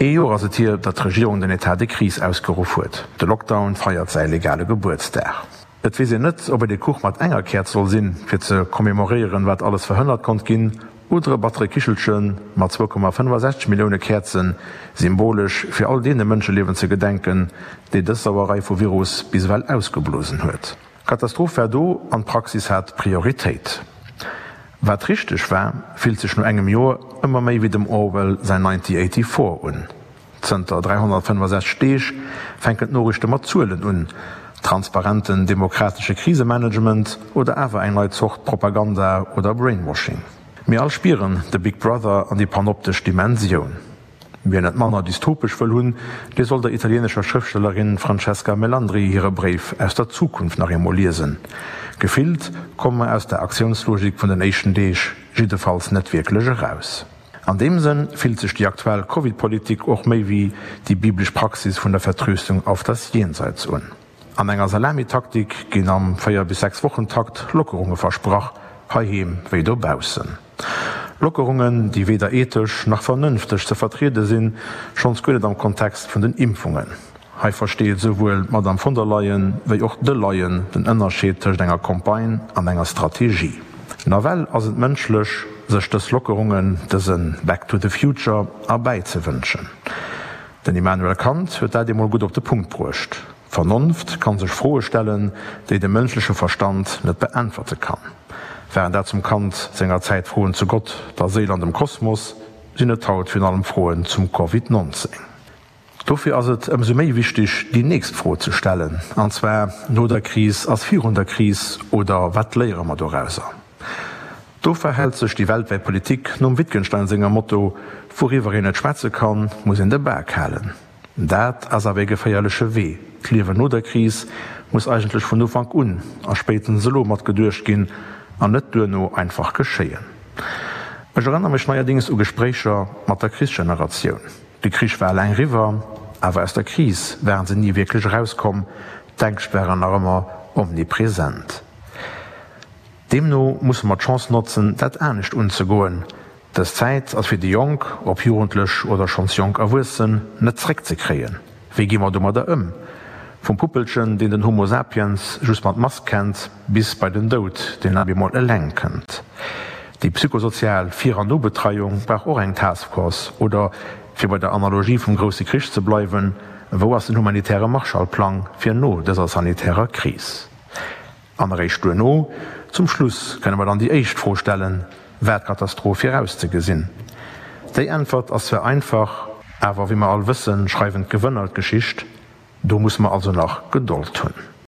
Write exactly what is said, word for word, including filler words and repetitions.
Ee Joer ass et hier, datt d'Regierung den Etat de crise ausgeruff huet. De Lockdown feiert säi legale Gebuertsdag. Et weess een net, ob et ee Kuch mat enger Käerz soll sinn, fir ze commemoréieren, wat alles verhënnert konnt ginn, oder e battere Kichelche mat zwou Komma fënnefasechzeg Millioune Käerzen, symbolesch fir all deene Mënscheliewen ze gedenken, déi dës Sauerei vu Virus bis ewell ausgeblosen huet. D'Katastroph war do an d'Praxis hat Prioritéit. Wat richteg war, fillt sech no engem Joer ëmmer méi wéi dem Orwell säin Nineteen Eighty-Four un. Zënter dräihonnertfënnefasechzeg Deeg fänken d'Noriichte mat Zuelen un, transparenten demokratesche Krisemanagement oder awer eng nei Zort Propaganda oder Brainwashing. Mir all spieren de Big Brother an déi panoptesch Dimensioun. Wien et manner dystopesch wëll hunn, dee soll der italienescher Schrëftstellerin Francesca Melandri hire Bréif aus der Zukunft nach eemol liesen. Gefillt komme mer aus der Aktiounslogik vun den éischten Deeg jiddefalls net wierklech eraus. An deem Sënn fillt sech déi aktuell Covid-Politik och méi wéi déi biblesch Praxis vun der Vertröstung auf das Jenseits un. An enger Salamitaktik ginn am véier bis sechs Wochen-Takt Lockerunge versprach, heiheem wéi dobaussen. Lockerungen, déi weder ethesch nach vernënfteg ze vertriede sinn, schonns guer net am Kontext vun den Impfungen. Hei versteet esouwuel d'Madamm von der Leyen wéi och de Leyen den Ënnerscheed tëscht enger Campagne an enger Strategie. Nawell ass et mënschlech, sech dës Lockerungen, dëse Back to the future erbäizewënschen. Den Immanuel Kant huet dat eemol gutt op de Punkt bruecht, D'Vernonft kann sech Froe stellen, déi de mënschleche Verstand net beäntwerte kann. Waren dat zum Kant senger Zäit Froen zu Gott, der Séil an dem Kosmos, sinn et haut virun allem Froen zum Covid nonzéng. Dofir ass et ëmsou méi wichteg, déi nächst Fro ze stellen, an zwar, No der Kris ass virun der Kris oder wat léiere mer dorauser? Do verhält sech déi weltwäit Politik nom Wittgenstein senger Motto, Wouriwwer een net schwätze kann, muss een de Bak halen. Dat ass awer ee geféierleche Wee. D'Liewen no der Kris muss eigentlech vun Ufank un a spéitstens elo mat geduecht ginn an net duerno einfach geschéien. Ech erënnere mech neierdéngs u Gespréicher mat der Krichsgeneratioun. De Krich war eleng eriwwer, awer aus der Kris waren se ni wierklech erauskomm, d'Ängscht waren nach ëmmer omnipresent. Deemno musse mer d'Chance notzen, dat anescht unzegoen. Dës Zäit ass fir déi Jonk, ob Jugendlech oder schonns jonk Erwuessen, net zréckzekréien. Wéi gi mer domadder ëm? Vum Puppelchen, deen den Homo sapiens just mat Mask kennt, bis bei den Doud, deen ab eemol eleng kënnt. Déi psychosozial Vir an Nobetreiung brauch och eng Taskforce. Oder, fir bei der Analogie vum grousse Krich ze bleiwen, wou ass den humanitäre Marshallplang fir no dëser sanitärer Kris? An eréischt duerno, zum Schluss, kënne mer dann déi éischt Fro stellen, War d'Katastroph virauszegesinn? Déi Äntwert ass zwar einfach, awer wéi mer all wëssen, schreiwen d'Gewënner d'Geschicht. Do musse mer also nach Gedold hunn.